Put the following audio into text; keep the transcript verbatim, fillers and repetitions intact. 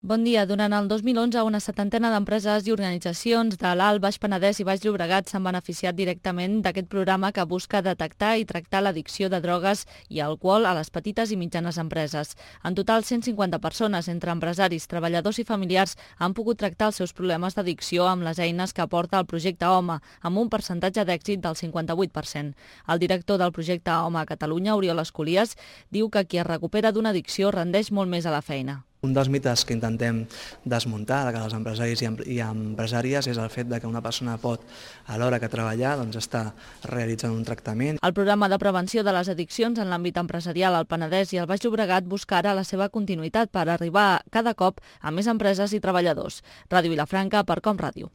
Bon dia. Durant el dos mil onze, una setantena d'empreses i organitzacions de l'Alt, Baix Penedès i Baix Llobregat s'han beneficiat directament d'aquest programa que busca detectar i tractar l'addicció de drogues i alcohol a les petites i mitjanes empreses. En total, cent cinquanta persones, entre empresaris, treballadors i familiars, han pogut tractar els seus problemes d'addicció amb les eines que aporta el projecte Home, amb un percentatge d'èxit del cinquanta-vuit per cent. El director del projecte Home a Catalunya, Oriol Escolies, diu que qui es recupera d'una addicció rendeix molt més a la feina. Un dels mites que intentem desmuntar de cara als empresaris i empresàries és el fet de que una persona pot, a l'hora que treballar, doncs, estar realitzant un tractament. El programa de prevenció de les addiccions en l'àmbit empresarial al Penedès i al Baix Llobregat busca ara la seva continuïtat per arribar cada cop a més empreses i treballadors. Ràdio Vilafranca, per Com Ràdio.